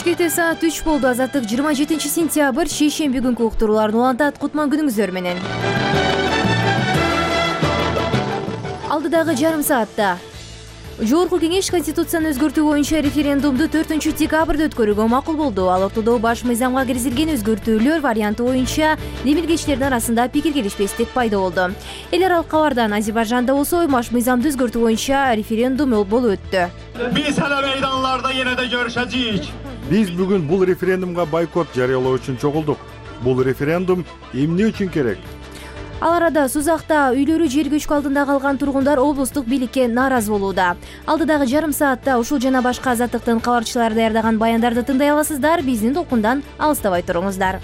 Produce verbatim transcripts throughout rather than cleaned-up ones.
Бишкекте саат үч болду. Азаттык жыйырма жетинчи сентябрь шейшемби күнкү уктурууларын улантат. Кутман күнүңүздөр менен. Алдыдагы жарым саатта Жогорку кеңеш Конституцияны өзгөртүү боюнча референдумду төртүнчү декабрда өткөрүүгө макул болду. Ал ортодо баш мыйзамга киргизилген өзгөртүүлөр варианты боюнча демилгечилердин арасында пикир келишпестик пайда болду. Эл аралык кабардан Азербайжанда болсо баш мыйзамды өзгөртүү боюнча референдум болуп өттү. Биз эле мейданларда ене да көрүшөчүбүз. Биз бүгүн бул референдумга бойкот жарыялоо үчүн чогулдук. Бул референдум эмне үчүн керек? Ал арада Сузакта үйлөрү жер көчкү алдында калган тургундар облустук бийликке нааразы болууда. Алдыдагы жарым саатта ушул жана башка азаттыктын кабарчылары даярдаган баяндарды тыңдай аласыздар. Биздин толкундан алыстабай туруңуздар.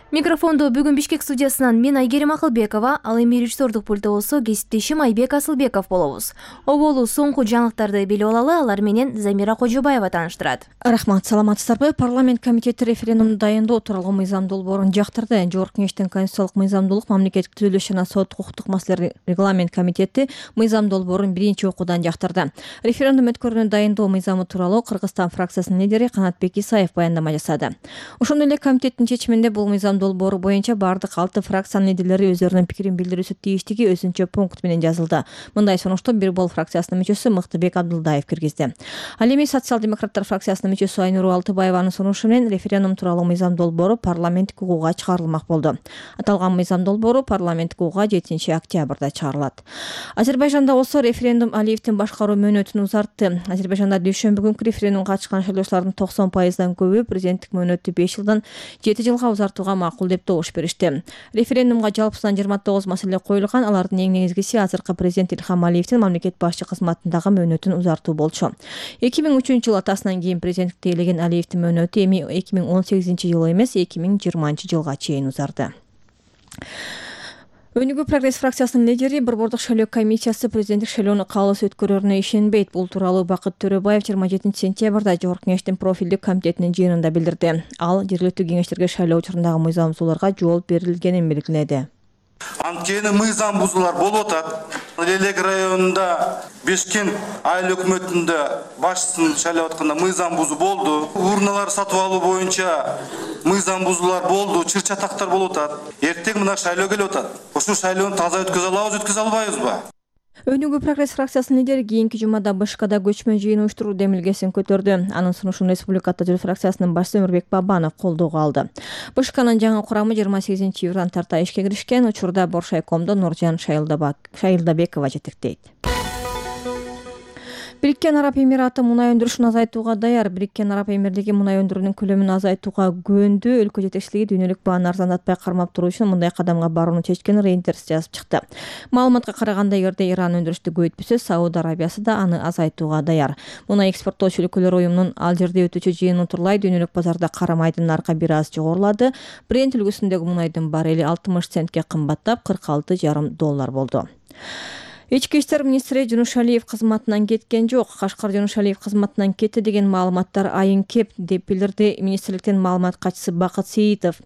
Микрофондо бүгүн Бишкек студиясынан мен Айгерим Акылбекова, ал эми режиссердук пультта болсо кесиптешим Айбек Асылбеков болобуз. Оболу соңку жаңылыктарды билип алалы, алар менен Замира Кожобаева тааныштырат. Рахмат, саламатсыздарбы? Парламент комитети референдумду дайындоо тууралуу мыйзам долбоорун жактырды. Жогорку кеңештин конституциялык мыйзамдуулук, мамлекеттик түзүлүш жана сот укуктук маселелер регламент комитети мыйзам долбоорун биринчи окуудан жактырды. Референдум өткөрүүнү дайындоо мыйзамы тууралуу Кыргызстан фракциясынын лидери Канатбек Исаев баяндама жасады. Ошондой эле комитеттин чечиминде бул мыйзам долбоору боюнча бардык алты фракциянын лидерлери өздөрүнүн пикирин билдирүүсү тийиштиги өзүнчө пункт менен жазылды. Мындай сунушту Бир Бол фракциясынын мүчөсү Мыктыбек Абдылдаев киргизди. Ал эми социал-демократтар фракциясынын мүчөсү Айнур Алтыбаеванын сунушу менен референдум тууралуу мыйзам долбоору парламенттик угууга чыгарылмак болду. Аталган мыйзам долбоору парламенттик угууга жетинчи октябрда чыгарылат. Азербайжанда болсо референдум Алиевдин башкаруу мөөнөтүн узартты. Азербайжанда дүйшөмбү күнкү референдумга катышкан шайлоочулардын токсон пайыздан көбү президенттик мөөнөттү беш жылдан жети жылга узартууга макул деп добуш беришти. Референдумга жалпысынан жыйырма тогуз маселе коюлган. Алардын эң негизгиси азыркы президент Илхам Алиевдин мамлекет башчы кызматындагы мөөнөтүн узартуу болчу. эки миң үчүнчү жыл атасынан кийин президенттикти ээлеген Алиевдин мөөнөтү эми эки миң он сегизинчи жылы эмес, эки миң жыйырманчы жылга чейин узарды. Өнүгүү прогресс фракциясынын лидери Борбордук шайлоо комиссиясы президенттик шайлоону калыс өткөрөрүнө ишенбейт. Бул тууралуу Бакыт Төрөбаев жыйырма жетинчи сентябрда Жогорку кеңештин профилдик комитетинин жыйынында билдирди. Ал жергиликтүү кеңештерге шайлоо учурундағы мыйзам бузууларга жол берилгенин белгиледи. Анткени мыйзам бузуулар болуп атат. Лелек районунда Бишкек айыл өкмөтүндө башчысын шайлап атканда мыйзам бузуу болду. Урналар сатып алуу боюнча мыйзам бузуулар болду, чыр-чатактар болуп атат. Эртең мына шайлоо келип атат. Ушул шайлоону таза өткөзө алабыз, өткөзө албайбызбы? Өнүгүү прогресс фракциясынын лидери кийинки жумада Бышкада көчмө жыйын уюштуруу демилгесин көтөрдү. Анын сунушун Республика Атажыл фракциясынын башчысы Өмүрбек Бабанов колдоого алды. Бышканын жаңы курамы жыйырма сегизинчи июлдан тарта ишке киришкен. Учурда Боршайкомдо Нуржан Шайылдабекова жетектейт. Бириккен Араб Эмираты мунай өндүрүшүн азайтууга даяр. Бириккен Араб Эмирлиги мунай өндүрүүнүн көлөмүн азайтууга күбөндү. Өлкө жетекчилиги дүйнөлүк бааны арзандатпай кармап туруу үчүн мындай кадамга барууну чечкенин Reuters жазып чыкты. Маалыматка караганда, эгерде Иран өндүрүштү көбөйтпөсө, Сауд Арабиясы да аны азайтууга даяр. Мунай экспорттоочу өлкөлөр уюмунун ал жерде өтүүчү жыйыны утурлай дүйнөлүк базарда кара майдын наркы бир аз жогорулады. Брент үлгүсүндөгү мунайдын баррели алтымыш центке кымбаттап кырк алты жарым доллар болду. Ички иштер министри Жунушалиев кызматынан кеткен жок. Кашкар Жунушалиев кызматынан кетти деген маалыматтар айын кеп деп билдирди министрликтин маалымат катчысы Бакыт Сейитов.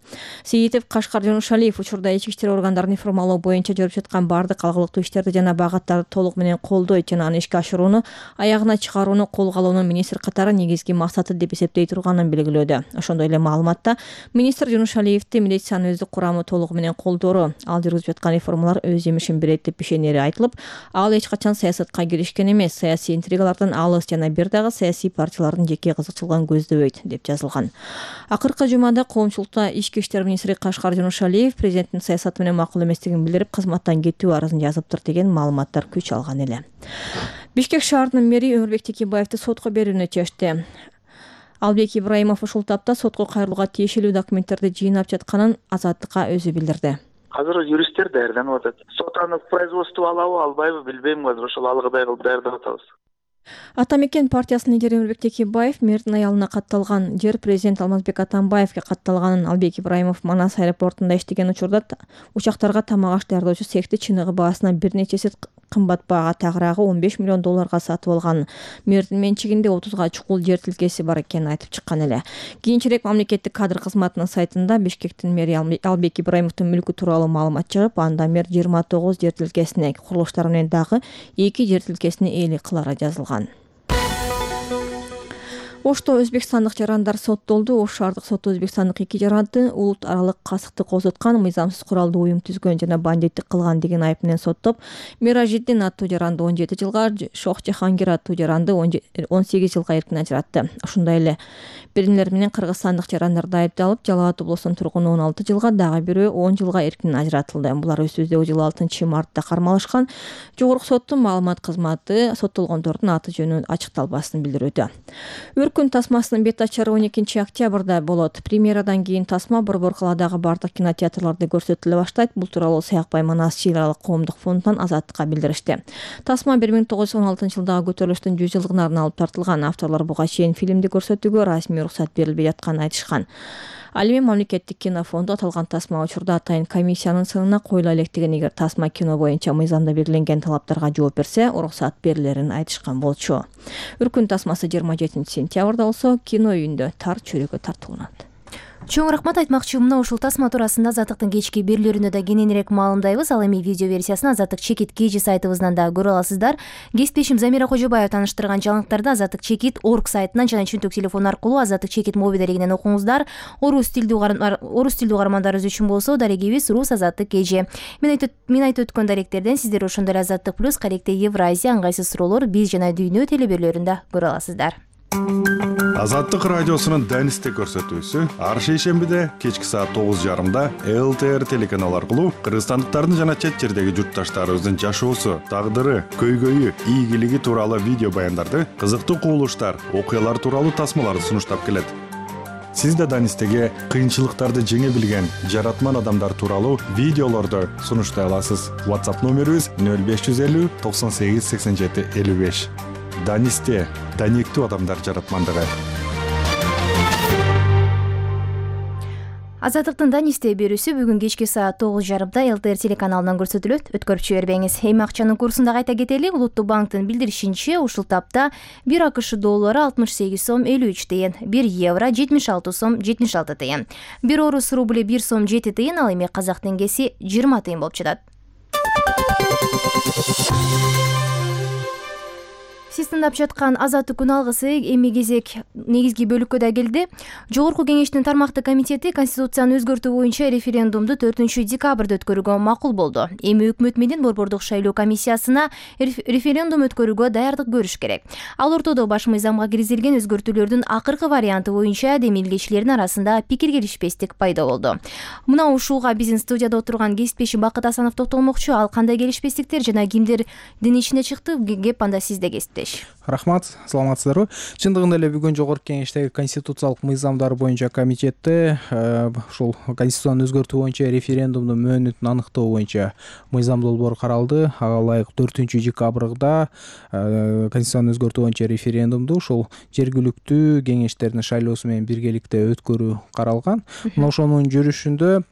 Сейитов Кашкар Жунушалиев учурда ички иштер органдарын информалоо боюнча жүрүп жаткан бардык алгылыктуу иштерди жана багаттарды толук менен колдойт жана аны ишке ашырууну, аягына чыгарууну колго алуунун министр катары негизги максаты деп эсептей турганын белгилөөдө. Ошондой эле маалыматта министр Жунушалиевди милициянын өздүк курамы толугу менен колдоору, ал жүргүзүп жаткан реформалар өз жемишин берет деп ишенери айтылып, ал эч качан саясатка киришкен эмес, саясий интригалардан алыс жана бир дагы саясий партиялардын жеке кызыкчылыгын көздөбөйт деп жазылган. Акыркы жумада коомчулукта ички иштер министри Кашкар Жунушалиев президенттин саясаты менен макул эместигин билдирип, кызматтан кетүү арызын жазыптыр деген маалыматтар күч алган эле. Бишкек шаарынын мэри Өмүрбек Текебаевди сотко берүүнү чечти. Албек Ибраимов ушул тапта сотко кайрылууга тиешелүү документтерди жыйнап жатканын Азаттыкка өзү билдирди. Азыр юристтер даярданып атат. Сот аны в производство алабы, албайбы билбейм. Азыр ошол алгыдай кылып даярдап атабыз. Ата мекен партиясынын лидери Өмүрбек Текебаев мэрдин аялына катталган жер президент Алмазбек Атамбаевге катталганын Албек Ибраимов Манас аэропортунда иштеген учурда учактарга тамак аш даярдоочу цехти чыныгы баасынан бир нече эсе кымбат баага тагыраагы он беш миллион долларга сатып алган. Мэрдин менчигинде отузга чукул жер тилкеси бар экенин айтып чыккан эле. Кийинчерээк мамлекеттик кадр кызматынын сайтында Бишкектин мэри Албек Ибраимовдун мүлкү тууралуу маалымат чыгып, анда мэр жыйырма тогуз жер тилкесине, курулуштар менен дагы эки жер тилкесине ээлик кылары жазылган. Ошто өзбекстандык жарандар соттолду. Ош шаардык соту өзбекстандык эки жаранды улут аралык касыкты козуткан, мыйзамсыз куралдуу уюм түзгөн жана бандиттик кылган деген айып менен соттоп, Миражиддин аттуу жаранды он жети жылга, Шох Жахангир аттуу жаранды он сегиз жылга эркин ажыратты. Ошондой эле биринелер менен кыргызстандык жарандарды айыпталып, Жалал Абад облусунун тургуну он алты жылга, дагы бирөө он жылга эркин ажыратылды. Булар өз-өздөгү жылы алтынчы мартта кармалышкан. Жогорку соттун маалымат кызматы соттолгондордун аты жөнү ачыкталбасын билдирүүдө. Өркүн тасмасынын бет ачары он экинчи октябрда болот. Премьерадан кийин тасма Борбор калаадагы бардык кинотеатрларда көрсөтүлө баштайт. Бул тууралуу Саякбай Манас чыйралык коомдук фондунан Азаттыкка билдиришти. Тасма бир миң тогуз жүз он алтынчы жылдагы көтөрүлүштүн жүз жылдыгына арналып тартылган. Авторлор буга чейин фильмди көрсөтүүгө расмий уруксат берилбей жатканын айтышкан. Ал эми мамлекеттик кино фонду аталган тасма учурда атайын комиссиянын сынына коюла электигин, эгер тасма кино боюнча мыйзамда белгиленген талаптарга жооп берсе, уруксат берилерин айтышкан болчу. Өркүн тасмасы жыйырма жетинчи сентябрда болсо кино үйүндө тар чөйрөгө тартууланат. Чоң рахмат. Айтмакчы, мына ушул тасма туурасында Азаттыктын кечки берүүлөрүндө да кененирээк маалымдайбыз. Ал эми видео версиясын Азаттык чекит кж сайтыбыздан да көрө аласыздар. Кесиптешим Замира Кожобаева тааныштырган жаңылыктарды Азаттык чекит орг сайтынан жана чөнтөк телефон аркылуу Азаттык чекит мобилдеринен окуңуздар. Орус тилдүү орус тилдүү угармандарыбыз үчүн болсо дарегибиз Рус Азаттык кж. Мен айтып мен айтып өткөн даректерден сиздер ошондой эле Азаттык плюс, Каректе Евразия, ыңгайсыз суроолор, биз жана дүйнө телеберлөрүндө көрө аласыздар. Азаттык радиосунун Данисте көрсөтүүсү ар шейшембиде кечки саат тогуз жарымда эл тэ эр телеканалы аркылуу кыргызстандыктардын жана чет жердеги журтташтарыбыздын жашоосу, тагдыры, көйгөйү, ийгилиги тууралуу видео баяндарды, кызыктуу кубулуштар, окуялар тууралуу тасмаларды сунуштап келет. Сиз да Данистеге кыйынчылыктарды жеңе билген жаратман адамдар тууралуу видеолорду сунуштай аласыз. WhatsApp номерибиз нөл беш жүз элүү токсон сегиз сексен жети элүү беш. Данисте даниктүү адамдар жаратмандыгы. Азаттыктын Данисте берүүсү бүгүн кечки саат тогуз жарымда эл тэ эр телеканалынан көрсөтүлөт. Өткөрүп жибербеңиз. Эми акчанын курсун да кайта кетели. Улуттук банктын билдиришинче, ушул тапта бир АКШ доллары алтымыш сегиз сом элүү үч тыйын, бир евро жетимиш алты сом жетимиш алты тыйын, бир орус рубли бир сом жети тыйын, ал эми казак теңгеси жыйырма тыйын болуп жатат. Сиз тыңдап жаткан Азаттык күн алгысы эми кезек негизги бөлүккө да келди. Жогорку кеңештин тармактык комитети Конституцияны өзгөртүү боюнча референдумду төртүнчү декабрда өткөрүүгө макул болду. Эми өкмөт менен Борбордук шайлоо комиссиясына референдум өткөрүүгө даярдык көрүш керек. Ал ортодо баш мыйзамга киргизилген өзгөртүүлөрдүн акыркы варианты боюнча демилгечилердин арасында пикир келишпестик пайда болду. Мына ушуга биздин студияда отурган кесиптешим Бакыт Асанов токтолмокчу. Ал кандай келишпестиктер жана кимдердин ичине чыкты? Кеп анда сизде кесиптеш. Рахмат, саламатсыздарбы? Чындыгында эле бүгүн жогорку кеңештеги конституциялык мыйзамдар боюнча комитетте ушул конституцияны өзгөртүү боюнча референдумдун мөөнөтүн аныктоо боюнча мыйзам долбоор каралды. Ага ылайык төртүнчү декабрда конституцияны өзгөртүү боюнча референдумду ушул жергиликтүү кеңештердин шайлоосу менен биргеликте өткөрүү каралган. Мына ошонун жүрүшүндө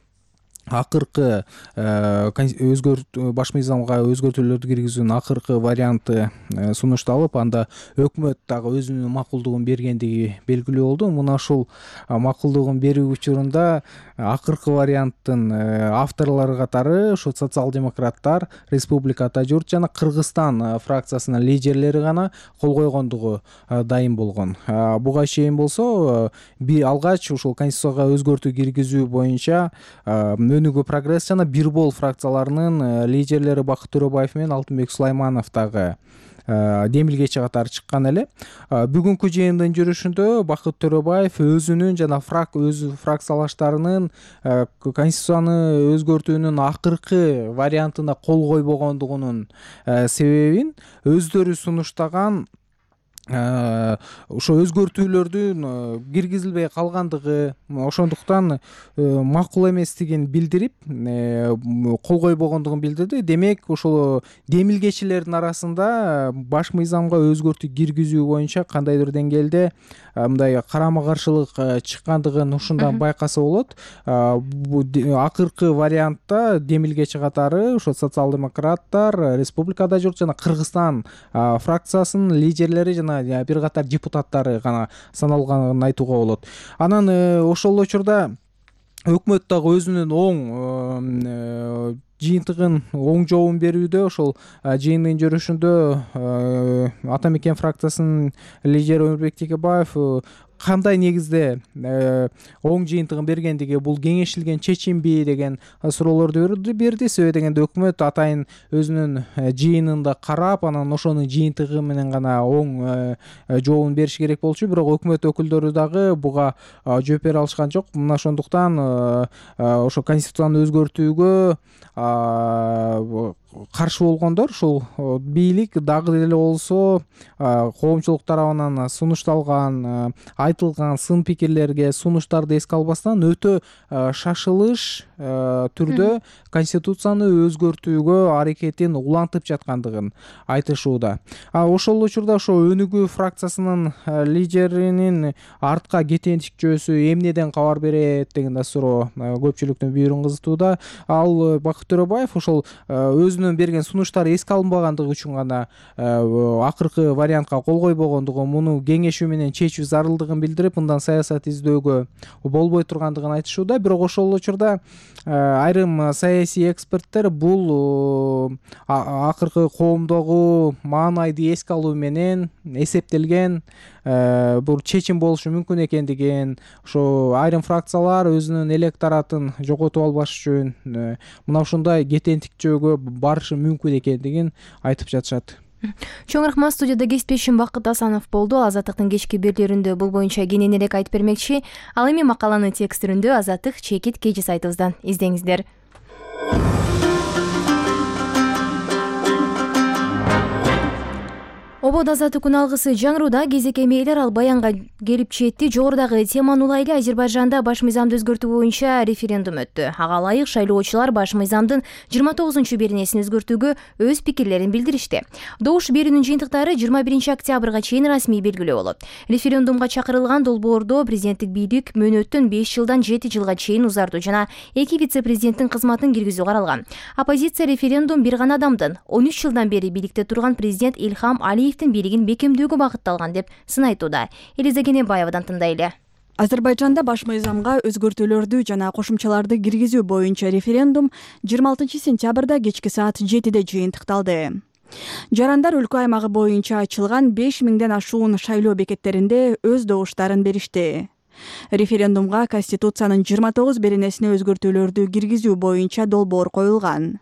акыркы өзгөртүү баш мыйзамга өзгөртүүлөрдү киргизүүнүн акыркы варианты сунушталып, анда өкмөт дагы өзүнүн макулдугун бергендиги белгилүү болду. Мына ушул макулдугун берүү учурунда акыркы варианттын авторлору катары ушу социал-демократтар, Республика Ата журт жана Кыргызстан фракциясынын лидерлери гана кол койгондугу дайым болгон. Буга чейин болсо бир алгач ушул конституцияга өзгөртүү киргизүү боюнча Өнүгүү прогресс жана Бирбол фракцияларынын лидерлери Бакыт Төрөбаев менен Алтынбек Сулайманов дагы демилгечи катары чыккан эле. Бүгүнкү жыйындын жүрүшүндө Бакыт Төрөбаев өзүнүн жана фрак өз фракциялаштарынын конституцияны өзгөртүүнүн акыркы вариантына кол койбогондугунун себебин өздөрү сунуштаган ошо өзгөртүүлөрдүн киргизилбей калгандыгы, ошондуктан макул эместигин билдирип, кол койбогондугун билдирди. Демек, ошол демилгечилердин арасында баш мыйзамга өзгөртүү киргизүү боюнча кандайдыр деңгээлде мындай карама каршылык чыккандыгын ушундан байкаса болот. Акыркы вариантта демилгечи катары ошо социал-демократтар, Республика Ата журт жана Кыргызстан фракциясынын лидерлери жана бир катар депутаттары гана саналганын айтууга болот. Анан ошол учурда өкмөт дагы өзүнүн оң жыйынтыгын оң жообун берүүдө ошол жыйындын жүрүшүндө Ата Мекен фракциясынын лидери Өмүрбек Текебаев кандай негизде оң жыйынтыгын бергендиги, бул кеңешилген чечимби деген суроолорду берди. Себеби дегенде өкмөт атайын өзүнүн жыйынында карап, анан ошонун жыйынтыгы менен гана оң жообун бериш керек болчу. Бирок өкмөт өкүлдөрү дагы буга жооп бере алышкан жок. Мына ошондуктан ошо конституцияны өзгөртүүгө каршы болгондор ушул бийлик дагы деле болсо коомчулук тарабынан сунушталган, айтылган сын пикирлерге, сунуштарды эске албастан өтө шашылыш түрдө конституцияны өзгөртүүгө аракетин улантып жаткандыгын айтышууда. А ошол учурда ошо Өнүгүү фракциясынын лидеринин артка кетенчүкчөсү эмнеден кабар берет деген да суроо көпчүлүктүн бүйүрүн кызытууда. Ал Бакыт Төрөбаев ошол өзүнүн берген сунуштары эске алынбагандыгы үчүн гана акыркы вариантка кол койбогондугун, муну кеңешүү менен чечүү зарылдыгын билдирип, мындан саясат издөөгө болбой тургандыгын айтышууда. Бирок ошол учурда айрым саясий эксперттер бул акыркы коомдогу маанайды эске алуу менен эсептелген бул чечим болушу мүмкүн экендигин, ошо айрым фракциялар өзүнүн электоратын жоготуп албаш үчүн мына ушундай кетентикчөөгө барышы мүмкүн экендигин айтып жатышат. Чоң рахмат. Студияда кесиптешим Бакыт Асанов болду. Азаттыктын кечки берүүлөрүндө бул боюнча кененирээк айтып бермекчи. Ал эми макаланы текст түрүндө Азаттык чекит кечи сайтыбыздан издеңиздер. Ободо азаттык күн алгысы жаңырууда кезек эмейлер ал баянга келип жетти. Жогорудагы теманы улайлы, Азербайжанда баш мыйзамды өзгөртүү боюнча референдум өттү. Ага ылайык шайлоочулар баш мыйзамдын жыйырма тогузунчу беренесин өзгөртүүгө өз пикирлерин билдиришти. Добуш берүүнүн жыйынтыктары жыйырма биринчи октябрга чейин расмий белгилөө болот. Референдумга чакырылган долбоордо президенттик бийлик мөөнөттүн беш жылдан жети жылга чейин узартуу жана эки вице-президенттин кызматын киргизүү каралган. Оппозиция референдум бир гана адамдын он үч жылдан бери бийликте турган президент Илхам Алиев бийлигин бекемдөөгө багытталган деп сын айтууда. Элиза Кенебаевадан тындайлы. Азербайжанда баш мыйзамга өзгөртүүлөрдү жана кошумчаларды киргизүү боюнча референдум жыйырма алтынчы сентябрда кечки саат жетиде жыйынтыкталды. Жарандар өлкө аймагы боюнча ачылган беш миңден ашуун шайлоо бекеттеринде өз добуштарын беришти. Референдумга Конституциянын жыйырма тогуз беренесине өзгөртүүлөрдү киргизүү боюнча долбоор коюлган.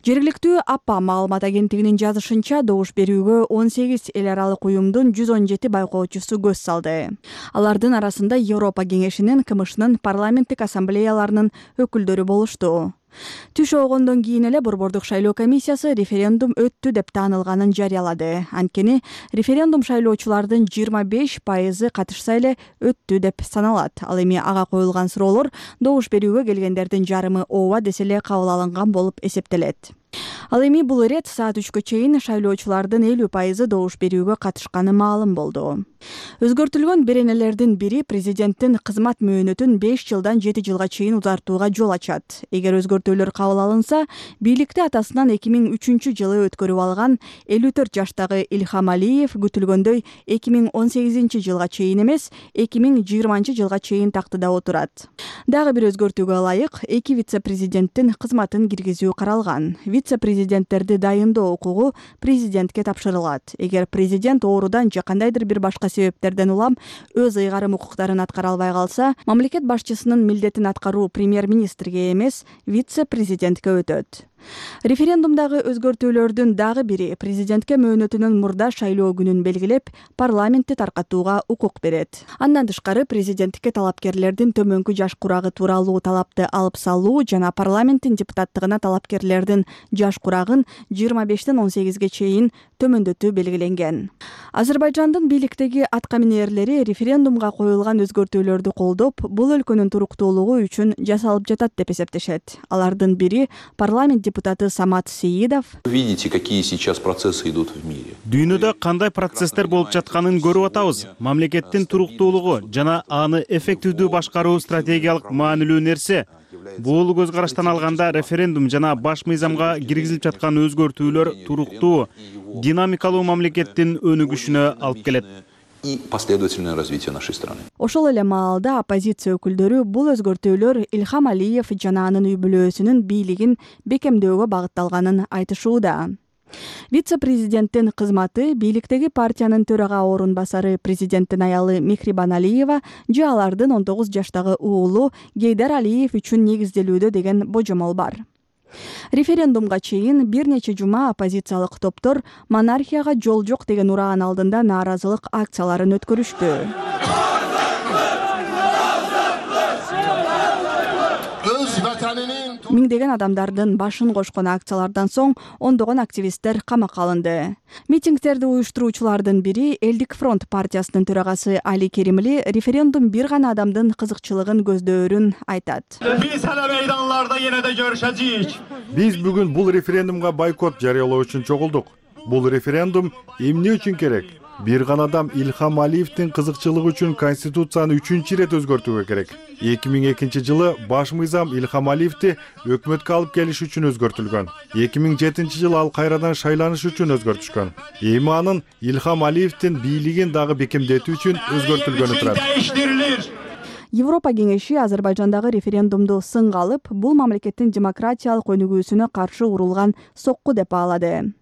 Жергиликтүү АПА маалымат агенттигинин жазышынча, добуш берүүгө он сегиз эл аралык уюмдун жүз он жети байкоочусу көз салды. Алардын арасында Европа кеңешинин, КМШнын парламенттик ассамблеяларынын өкүлдөрү болушту. Түш оогондон кийин эле Борбордук шайлоо комиссиясы референдум өттү деп таанылганын жарыялады. Анткени референдум шайлоочулардын жыйырма беш пайызы катышса эле өттү деп саналат. Ал эми ага коюлган суроолор добуш берүүгө келгендердин жарымы ооба десе эле кабыл алынган болуп эсептелет. Ал эми бул ирет саат үчкө чейин шайлоочулардын элүү пайызы добуш берүүгө катышканы маалым болду. Өзгөртүлгөн беренелердин бири президенттин кызмат мөөнөтүн беш жылдан жети жылга чейин узартууга жол ачат. Эгер өзгөртүүлөр кабыл алынса, бийликти атасынан эки миң үчүнчү жылы өткөрүп алган элүү төрт жаштагы Илхам Алиев күтүлгөндөй эки миң он сегизинчи жылга чейин эмес, эки миң жыйырманчы жылга чейин тактыда отурат. Дагы бир өзгөртүүгө ылайык эки вице-президенттин кызматын киргизүү каралган. Вице-президенттерди дайындоо укугу президентке тапшырылат. Эгер президент оорудан же кандайдыр бир башка себептерден улам өз ыйгарым укуктарын аткара албай калса, мамлекет башчысынын милдетин аткаруу премьер-министрге эмес, вице-президентке өтөт. Референдумдагы өзгөртүүлөрдүн дагы бири президентке мөөнөтүнүн мурда шайлоо күнүн белгилеп, парламентти таркатууга укук берет. Андан тышкары президенттикке талапкерлердин төмөнкү жаш курагы тууралуу талапты алып салуу жана парламенттин депутаттыгына талапкерлердин жаш курагын жыйырма бештен он сегизге чейин төмөндөтүү белгиленген. Азербайжандын бийликтеги аткаминерлери референдумга коюлган өзгөртүүлөрдү колдоп, бул өлкөнүн туруктуулугу үчүн жасалып жатат деп эсептешет. Алардын бири парламент депутаты Самат Сеидов. Видите, какие сейчас процессы идут в мире. Дүйнөдө кандай процесстер болуп жатканын көрүп атабыз. Мамлекеттин туруктуулугу жана аны эффективдүү башкаруу стратегиялык маанилүү нерсе. Бул көз караштан алганда референдум жана баш мыйзамга киргизилип жаткан өзгөртүүлөр туруктуу, динамикалуу мамлекеттин өнүгүшүнө алып келет. и последовательное развитие нашей страны. Ошол эле маалда оппозиция өкүлдөрү бул өзгөртүүлөр Илхам Алиев жана анын үй бүлөсүнүн бийлигин бекемдөөгө багытталганын айтышууда. Вице-президенттин кызматы бийликтеги партиянын төрага орун басары президенттин аялы Мехрибан Алиева же алардын он тогуз жаштагы уулу Гейдар Алиев үчүн негизделүүдө деген божомол бар. Референдумга чейин бир нече жума оппозициялык топтор монархияга жол жок деген ураган алдында нааразылык акцияларын өткөрүштү. Миңдеген адамдардын башын кошкон акциялардан соң ондогон активисттер камакка алынды. Митингдерди уюштуруучулардын бири Элдик фронт партиясынын төрагасы Али Керимли референдум бир гана адамдын кызыкчылыгын көздөөрүн айтат. Биз эле мейданларда енеде görüşeceğiz. Биз бүгүн бул референдумга бойкот жарыялоо үчүн чогулдук. Бул референдум эмне үчүн керек? Бир гана адам Илхам Алиевдин кызыкчылыгы үчүн конституцияны үчүнчү ирет өзгөртүүгө керек. эки миң экинчи жылы баш мыйзам Илхам Алиевди өкмөткө алып келиш үчүн өзгөртүлгөн. эки миң жетинчи жылы ал кайрадан шайланыш үчүн өзгөртүшкөн. Эми анын Илхам Алиевдин бийлигин дагы бекемдетүү үчүн өзгөртүлгөнү турат. Европа кеңеши Азербайжандагы референдумду сынга алып, бул мамлекеттин демократиялык өнүгүүсүнө каршы урулган сокку деп баалады.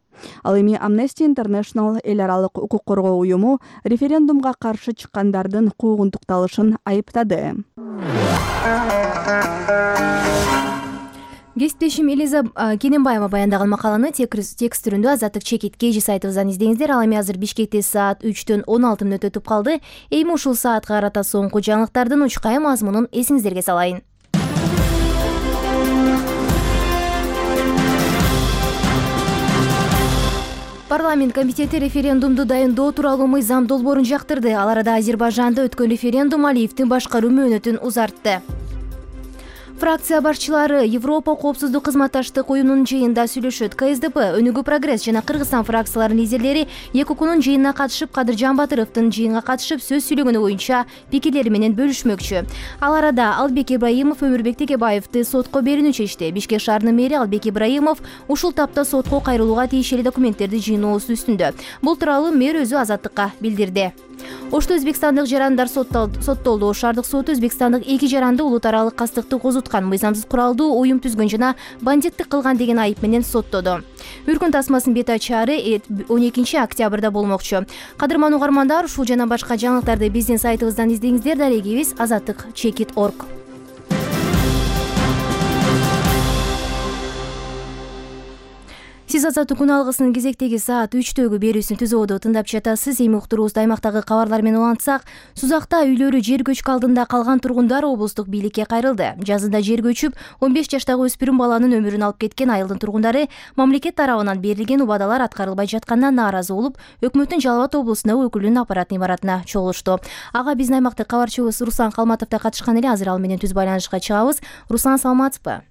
Ал эми Amnesty International эл аралык укук коргоо уюму референдумга каршы чыккандардын куугунтукталышын айыптады. Кесиптешим Элиза Кененбаева баяндаган макаланы текст түрүндө Азаттык чекит кей жи сайтыбыздан издеңиздер. Ал эми азыр Бишкекте саат үчтөн он алты мүнөт өтүп калды. Эми ушул саатка карата соңку жаңылыктардын учкай мазмунун эсиңиздерге салайын. Парламент комитети референдумду дайындоо тууралуу мыйзам долбоорун жактырды. Ал арада Азербайжанда өткөн референдум Алиевдин башкаруу мөөнөтүн узартты. Фракция башчылары Европа коопсуздук кызматташтык уюмунун жыйынында сүйлөшөт. ка эс дэ пэ, Өнүгүү прогресс жана Кыргызстан фракцияларынын лидерлери эки укунун жыйынына катышып, Кадыр Жамбатыровдун жыйынга катышып сөз сүйлөгөнү боюнча пикирлери менен бөлүшмөкчү. Ал арада Албек Ибраимов Өмүрбек Текебаевди сотко берүүнү чечти. Бишкек шаарынын мэри Албек Ибраимов ушул тапта сотко кайрылууга тиешелүү документтерди жыйноосу үстүндө. Бул тууралуу мэр өзү Азаттыкка билдирди. Ошто өзбекстандык жарандар соттолду. Шаардык соту өзбекстандык эки жаранды улут аралык кастыкты козуткан, мыйзамсыз куралдуу уюм түзгөн жана бандиттик кылган деген айып менен соттоду. Үркүн тасмасынын бет ачаары он экинчи октябрда болмокчу. Кадырман угармандар, ушул жана башка жаңылыктарды биздин сайтыбыздан издеңиздер. Дарегибиз азаттык чекит точка орг. Сиз Азаттык күн алгысынын кезектеги саат үчтөгү берүүсүн түзүүдө тыңдап жатасыз. Эми уктуруубузду аймактагы кабарлар менен улантсак, Сузакта үйлөрү жер көчкү алдында калган тургундар облустук бийликке кайрылды. Жазында жер көчүп, он беш жаштагы өспүрүм баланын өмүрүн алып кеткен айылдын тургундары мамлекет тарабынан берилген убадалар аткарылбай жатканына нааразы болуп, өкмөттүн Жалал Абад облусундагы өкүлүнүн аппарат имаратына чогулушту. Ага биздин аймактык кабарчыбыз Руслан Калматов да катышкан эле. Азыр ал менен түз байланышка чыгабыз. Руслан, саламатсызбы?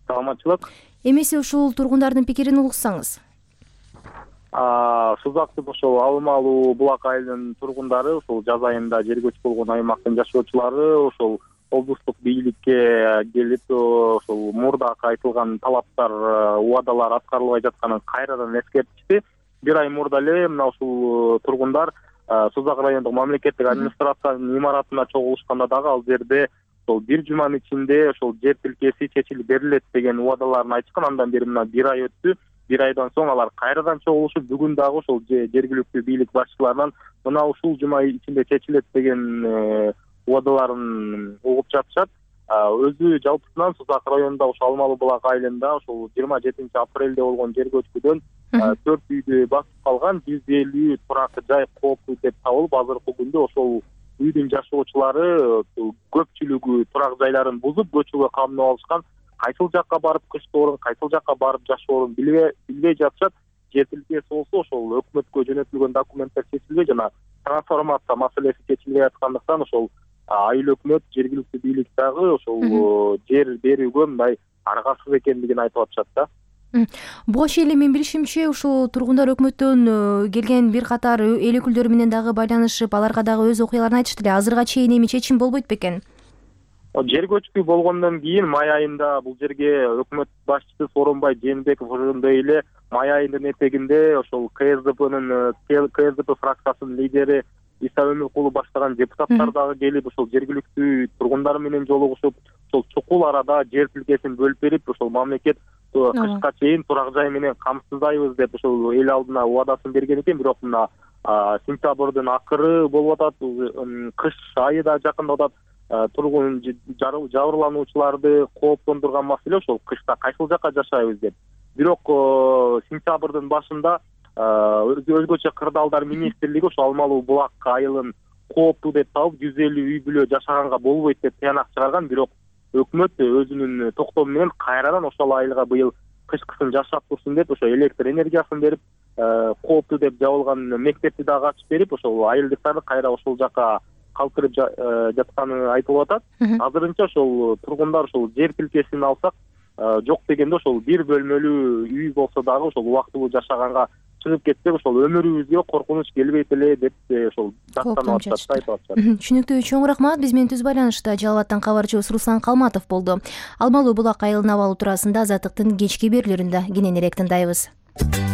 Саламатчылык. Эмесе ушул тургундардын пикирин угушсаңыз. Сузактын ошол Алмалуу Булак айылынын тургундары ошол жаз айында жер көчүп болгон аймактын жашоочулары ошол облустук бийликке келип ошол мурдакы айтылган талаптар, убадалар аткарылбай жатканын кайрадан эскертишти. Бир ай мурда эле мына ушул тургундар Сузак райондук мамлекеттик администрациянын имаратына чогулушканда дагы ал жерде бир жуманын ичинде ошол жер тилкеси чечилип берилет деген убадаларын айтышкан. Андан бери мына бир ай өттү. Бир айдан соң алар кайрадан чогулушуп, бүгүн дагы ошол жергиликтүү бийлик башчыларынан мына ушул жума ичинде чечилет деген убадаларын угуп жатышат. Өзү жалпысынан Сузак районунда ошол Алмалуу Булак айылында ошол жыйырма жетинчи апрелде болгон жер көчкүдөн төрт үйдү басып калган, жүз элүү турак жай кооптуу деп табылып, азыркы күндө ошол үйдүн жашоочулары көпчүлүгү турак жайларын бузуп көчүүгө камдап алышкан. Кайсыл жакка барып кыштоорун, кайсыл жакка барып жашоорун билбей жатышат. Жер тилкеси болсо ошол өкмөткө жөнөтүлгөн документтер чечилбей жана трансформация маселеси чечилбей аткандыктан ошол айыл өкмөт, жергиликтүү бийлик дагы ошол жер берүүгө мындай аргасыз экендигин айтып атышат да. Буга чейин эле мен билишимче ушул тургундар өкмөттөн келген бир катар эл өкүлдөрү менен дагы байланышып, аларга дагы өз окуяларын айтышты эле. Азырга чейин эми чечим болбойт бекен? Жер көчкү болгондон кийин май айында бул жерге өкмөт башчысы Сооронбай Жээнбеков ошондой эле май айынын этегинде ошол ка эс дэ пнын ка эс дэ пэ фракциясынын лидери Иса Өмүркулов баштаган депутаттар дагы келип ошол жергиликтүү тургундар менен жолугушуп, ошол чукул арада жер тилкесин бөлүп берип, ошол мамлекет кышка чейин турак жай менен камсыздайбыз деп ошол эл алдына убадасын берген экен. Бирок мына сентябрдын акыры болуп атат, кыш айы да жакындап атат. Тургун жабырлануучуларды кооптондурган маселе ошол кышта кайсыл жакка жашайбыз деп. Бирок сентябрдын башында өзгөчө кырдаалдар министрлиги ошол Алмалуу булак айылын кооптуу деп табып, жүз элүү үй бүлө жашаганга болбойт деп тыянак чыгарган. Бирок өкмөт өзүнүн токтому менен кайрадан ошол айылга быйыл кышкысын жашап турсун деп ошо электр энергиясын берип, кооптуу деп жабылган мектепти дагы ачып берип, ошол айылдыктарды кайра ошол жака калтырып жатканы айтылып атат. Азырынча ошол тургундар ошол жер тилкесин алсак, жок дегенде ошол бир бөлмөлүү үй болсо дагы ошол убактылуу жашаганга чыгып кетсек, ошол өмүрүбүзгө коркунуч келбейт эле деп ошол даттанып атышат, айтып атышат. Түшүнүктүү, чоң рахмат. Биз менен түз байланышта Жалал абадтан кабарчыбыз Руслан Калматов болду. Алмалуу булак айылын абалы туурасында Азаттыктын кечки берүүлөрүндө кененирээк тындайбыз.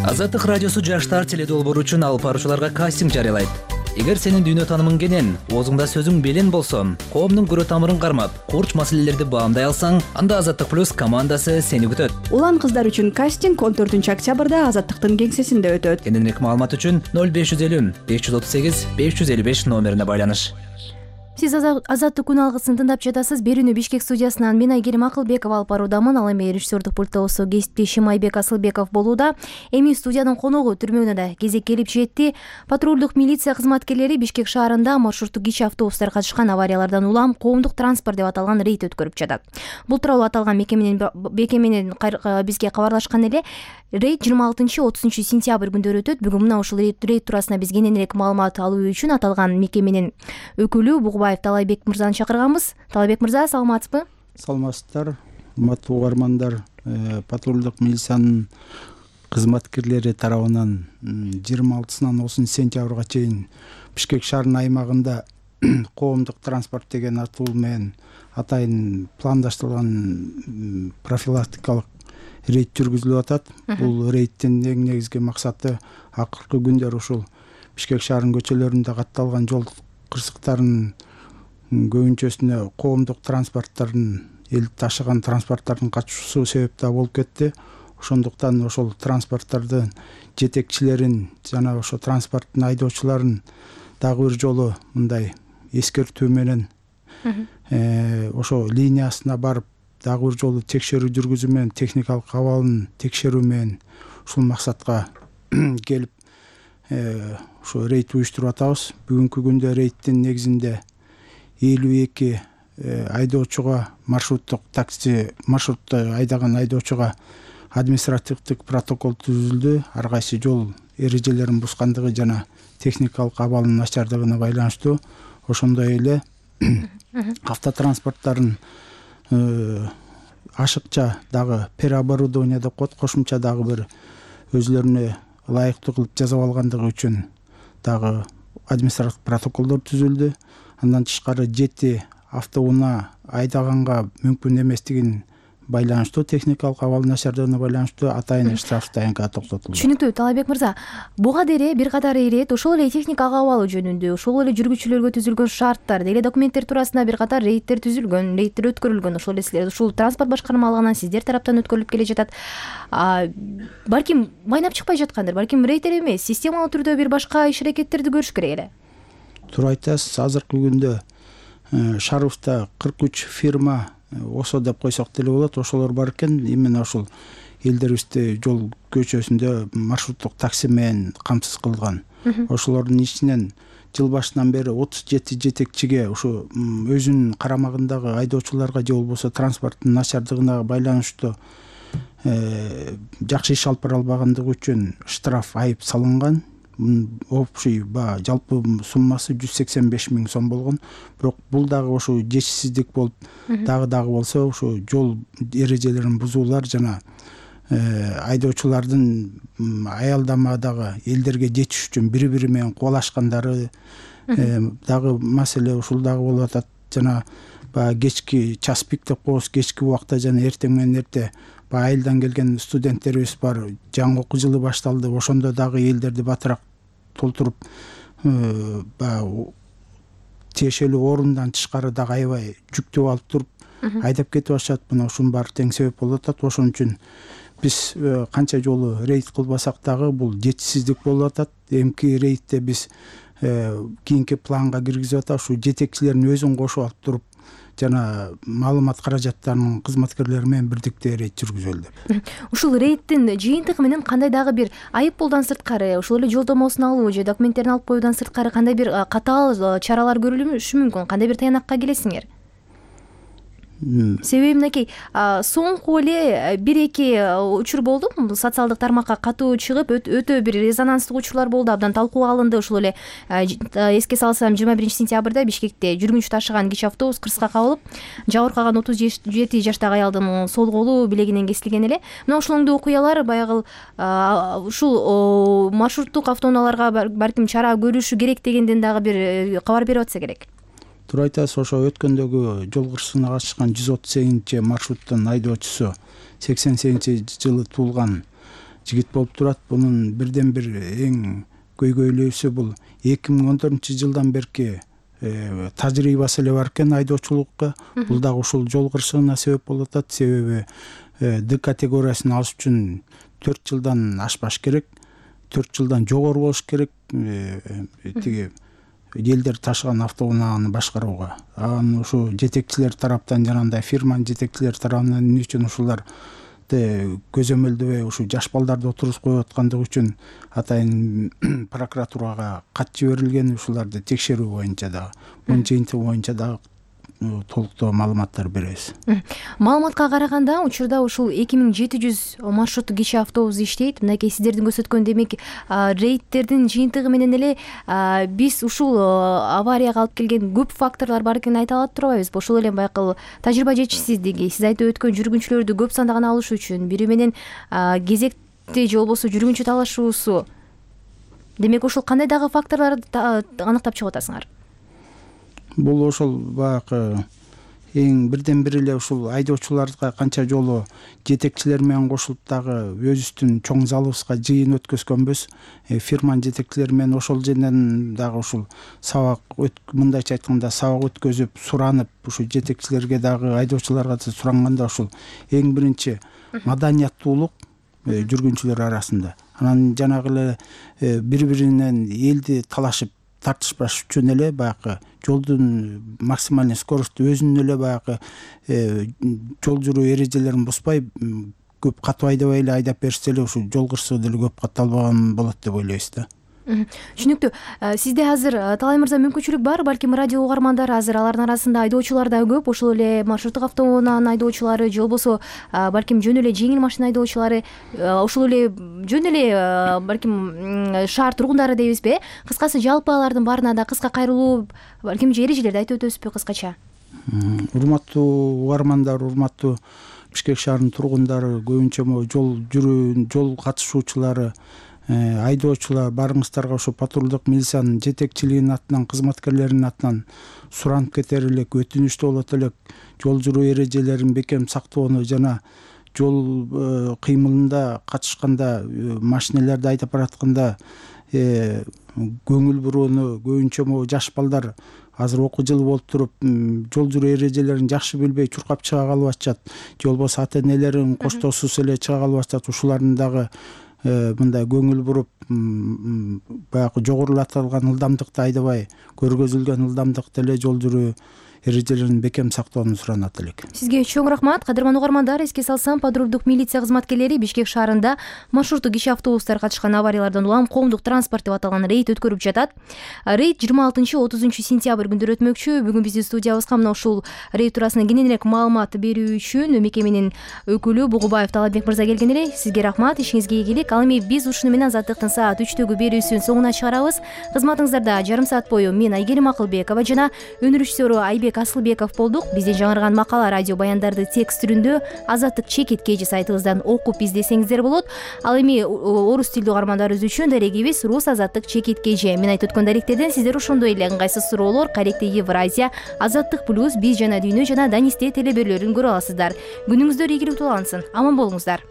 Азаттык радиосу жаштар теледолбоору үчүн алып баруучуларга кастинг жарыялайт. Эгер сенин дүйнө таанымың кенен, оозуңда сөзүң белен болсо, коомдун көрө тамырын кармап, курч маселелерди баамдай алсаң, анда Азаттык плюс командасы сени күтөт. Улан кыздар үчүн кастинг он төртүнчү октябрда Азаттыктын кеңсесинде өтөт. Кененирээк маалымат үчүн ноль беш жүз элүү беш жүз отуз сегиз беш жүз элүү беш номерине байланыш. Сиз Азаттык күн алгысын тыңдап жатасыз. Берүүнү Бишкек студиясынан мен Айгерим Акылбекова алып баруудамын. Ал эми режиссердук пультта болсо кесиптешим Айбек Асылбеков болууда. Эми студиянын коногу түрмөгүнө да кезек келип жетти. Патрулдук милиция кызматкерлери Бишкек шаарында маршруттук кичи автобустар катышкан авариялардан улам коомдук транспорт деп аталган рейд өткөрүп жатат. Бул тууралуу аталган мекеменин мекеменин бизге кабарлашкан эле. Рейд жыйырма алтынчы отузунчу сентябрь күндөрү өтөт. Бүгүн мына ушул рейд туурасында биз кененирээк маалымат алуу үчүн аталган мекеменин өкүлү Бугубаев Талайбек мырзаны чакырганбыз. Талайбек мырза, саламатсызбы? Саламатсыздар, урматтуу угармандар. Патрулдук милициянын кызматкерлери тарабынан жыйырма алтысынан отузунчу сентябрга чейин Бишкек шаарынын аймагында коомдук транспорт деген атуу менен атайын пландаштырылган профилактикалык рейд жүргүзүлүп атат. Бул рейдтин эң негизги максаты акыркы күндөр ушул Бишкек шаарынын көчөлөрүндө катталган жол кырсыктарынын көбүнчөсүнө коомдук транспорттардын, эл ташыган транспорттардын катышуусу себептүү болуп кетти. Ошондуктан ошол транспорттардын жетекчилерин жана ошо транспорттун айдоочуларын дагы бир жолу мындай эскертүү менен ошо линиясына барып дагы бир жолу текшерүү жүргүзүү менен, техникалык абалын текшерүү менен ушул максатка келип ошо рейд уюштуруп атабыз. Бүгүнкү күндө рейдтин негизинде элүү эки айдоочуга, маршруттук такси маршрутта айдаган айдоочуга административдик протокол түзүлдү. Ар кайсы жол эрежелерин бускандыгы жана техникалык абалынын начардыгына байланыштуу. Ошондой эле автотранспорттардын ашыкча дагы переоборудование деп коет, кошумча дагы бир өзлөрүнө ылайыктуу кылып жасап алгандыгы үчүн дагы административдик протоколдор түзүлдү. Андан тышкары жети автоунаа айдаганга мүмкүн эместигин байланыштуу, техникалык абал начардыгына байланыштуу атайын штраф дайынга токтотулду. Түшүнүктүү, Талайбек мырза. Буга дере бир катар ирет ошол эле техникалык абалы жөнүндө, ошол эле жүргүчүлөргө түзүлгөн шарттар, деле документтер туурасында бир катар рейдтер түзүлгөн, рейдтер өткөрүлгөн. Ошол эле ушул транспорт башкармалыгынан сиздер тараптан өткөрүлүп келе жатат. Балким майнап чыкпай жаткандыр, балким рейдтер эмес, системалуу түрдө бир башка иш аракеттерди көрүш керек эле. Туура айтасыз. Азыркы күндө Шаровда кырк үч фирма, осо деп койсок деле болот, ошолор бар экен. Именно ошол элдерибизде жол көчөсүндө маршруттук такси менен камсыз кылган. Ошолордун ичинен жыл башынан бери отуз жети жетекчиге ушу өзүнүн карамагындагы айдоочуларга же болбосо транспорттун начардыгына байланыштуу жакшы иш алып бара албагандыгы үчүн штраф, айып салынган. Общий ба жалпы суммасы жүз сексен беш миң сом болгон. Бирок бул дагы ошо жетишсиздик болуп, дагы дагы болсо ошо жол эрежелерин бузуулар жана айдоочулардын аялдамадагы элдерге жетиш үчүн бири бири менен кубалашкандары дагы маселе ушул дагы болуп атат. Жана баягы кечки час пик деп коебуз, кечки убакта жана эртең менен эрте баягы айылдан келген студенттерибиз бар. Жаңы окуу жылы башталды. Ошондо дагы элдерди батыраак толтуруп баягы тиешелүү орундан тышкары дагы аябай жүктөп алып туруп айдап кетип атышат. Мына ушунун баары тең себеп болуп атат. Ошон үчүн биз канча жолу рейд кылбасак дагы бул жетишсиздик болуп атат. Эмки рейдте биз кийинки планга киргизип атабыз. Ушу жетекчилердин өзүн кошуп алып туруп жана маалымат каражаттарынын кызматкерлери менен бирдикте рейд жүргүзөлү деп. Ушул рейдтин жыйынтыгы менен кандай дагы бир айыппулдан сырткары, ошол эле жолдомосун алуу же документтерин алып коюудан сырткары кандай бир катаал чаралар көрүлүшү мүмкүн? Кандай бир таянакка келесиңер? Себеби мынакей соңку эле бир эки учур болду, социалдык тармакка катуу чыгып өтө бир резонанстуу учурлар болду, абдан талкууга алынды. Ошол эле эске салсам жыйырма биринчи сентябрда Бишкекте жүргүнчү ташыган кичи автобус кырсыкка кабылып, жабыркаган отуз жети жаштагы аялдын сол колу билегинен кесилген эле. Мына ошондой окуялар баягы ушул маршруттук автоунааларга балким чара көрүшү керек дегенден дагы бир кабар берип атса керек. Туура айтасыз. Ошо өткөндөгү жол кырсыгына катышкан жүз отуз сегизинчи маршруттун айдоочусу сексен сегизинчи жылы туулган жигит болуп турат. Бунун бирден бир эң көйгөйлүүсү бул эки миң он төртүнчү жылдан берки тажрыйбасы эле бар экен айдоочулукка. Бул дагы ушул жол кырсыгына себеп болуп атат. Себеби Д категориясын алыш үчүн төрт жылдан ашпаш керек, төрт жылдан жогору болуш керек тиги элдер ташыган автоунааны башкарууга. Анан ушу жетекчилер тараптан жанагындай фирманын жетекчилери тарабынан эмне үчүн ушуларды көзөмөлдөбөй ушу жаш балдарды отургузуп коюп аткандыгы үчүн атайын прокуратурага кат жиберилген. Ушуларды текшерүү боюнча дагы, мунун жыйынтыгы боюнча дагы толуктуу маалыматтар беребиз. Маалыматка караганда учурда ушул эки миң жети жүз маршруттук кичи автобус иштейт. Мынакей сиздердин көрсөткөн демек рейдтердин жыйынтыгы менен эле биз ушул аварияга алып келген көп факторлор бар экенин айта алат турбайбызбы? Ошол эле баягы тажрыйба жетишсиздиги, сиз айтып өткөн жүргүнчүлөрдү көп сандаган алыш үчүн, бири менен кезекти же болбосо жүргүнчү талашуусу. Демек ушул кандай дагы факторлорду аныктап чыгып атасыңар? Бул ошол баягы эң бирден бир эле ушул айдоочуларга канча жолу жетекчилер менен кошулуп дагы өзүбүздүн чоң залыбызга жыйын өткөзгөнбүз. Фирманын жетекчилери менен ошол жерден дагы ушул сабак, мындайча айтканда сабак өткөзүп, суранып, ушул жетекчилерге дагы айдоочуларга да суранганда ушул эң биринчи маданияттуулук жүргүнчүлөр арасында. Анан жанагы эле бири-биринен элди талашып тартышпаш үчүн эле баягы жолдун максимальный скоросту өзүнүн эле баягы жол жүрүү эрежелерин бузбай көп катуу айдабай эле айдап берсе эле ушул жол кырсыгы деле көп катталбаган болот деп ойлойбуз да. Түшүнүктүү. Сизде азыр Талай мырза мүмкүнчүлүк бар, балким радио угармандары азыр алардын арасында айдоочулар да көп, ошол эле маршруттук автоунаанын айдоочулары же болбосо балким жөн эле жеңил машина айдоочулары, ошол эле жөн эле балким шаар тургундары дейбизби? Кыскасы жалпы алардын баарына да кыска кайрылуу балким эрежелерди айтып өтөбүзбү кыскача? Урматтуу угармандар, урматтуу Бишкек шаарынын тургундары, көбүнчө жол жүрүү, жол катышуучулары, айдоочулар, баарыңыздарга ошо патрулдук милициянын жетекчилигинин атынан, кызматкерлеринин атынан суранып кетер элек, өтүнүчтүү болот элек жол жүрүү эрежелерин бекем сактоону жана жол кыймылында катышканда, машиналарды айдап баратканда көңүл бурууну, көбүнчө могу жаш балдар азыр окуу жылы болуп туруп жол жүрүү эрежелерин жакшы билбей чуркап чыга калып атышат, же болбосо ата энелерин коштоосуз эле чыга калып атышат. Ушулардын дагы мындай көңүл буруп баягы жогорулатылган ылдамдыкты айдабай, көргөзүлгөн ылдамдыкта эле жол жүрүү эрежелерин бекем сактоону суранат элек. Сизге чоң рахмат. Кадырман угармандар, эске салсам, патрулдук милиция кызматкерлери Бишкек шаарында маршруттук кичи автобустар катышкан авариялардан улам коомдук транспорт деп аталган рейд өткөрүп жатат. Рейд жыйырма алтынчы отузунчу сентябрь күндөрү өтмөкчү. Бүгүн биздин студиябызга мына ушул рейд туурасында кененирээк маалымат берүү үчүн мекеменин өкүлү Бугубаев Талатбек мырза келген эле. Сизге рахмат, ишиңизге ийгилик. Ал эми биз ушуну менен Азаттыктын саат үчтөгү берүүсүн соңуна чыгарабыз. Кызматыңыздарда жарым саат бою мен Айгерим Акылбекова жана өнөр режиссеру Айбек Асылбеков болдук. Бизден жаңырган макала, радио баяндарды текст түрүндө Азаттык чекит кежи сайтыбыздан окуп издесеңиздер болот. Ал эми орус тилдүү угармандарыбыз үчүн дарегибиз Рус Азаттык чекит кежи. Мен айтып өткөн даректерден сиздер ошондой эле ыңгайсыз суроолор, Каректе Евразия, Азаттык плюс, Биз жана дүйнө жана Данисте телеберлөрүн көрө аласыздар. Күнүңүздөр ийгиликтүү улансын. Аман болуңуздар.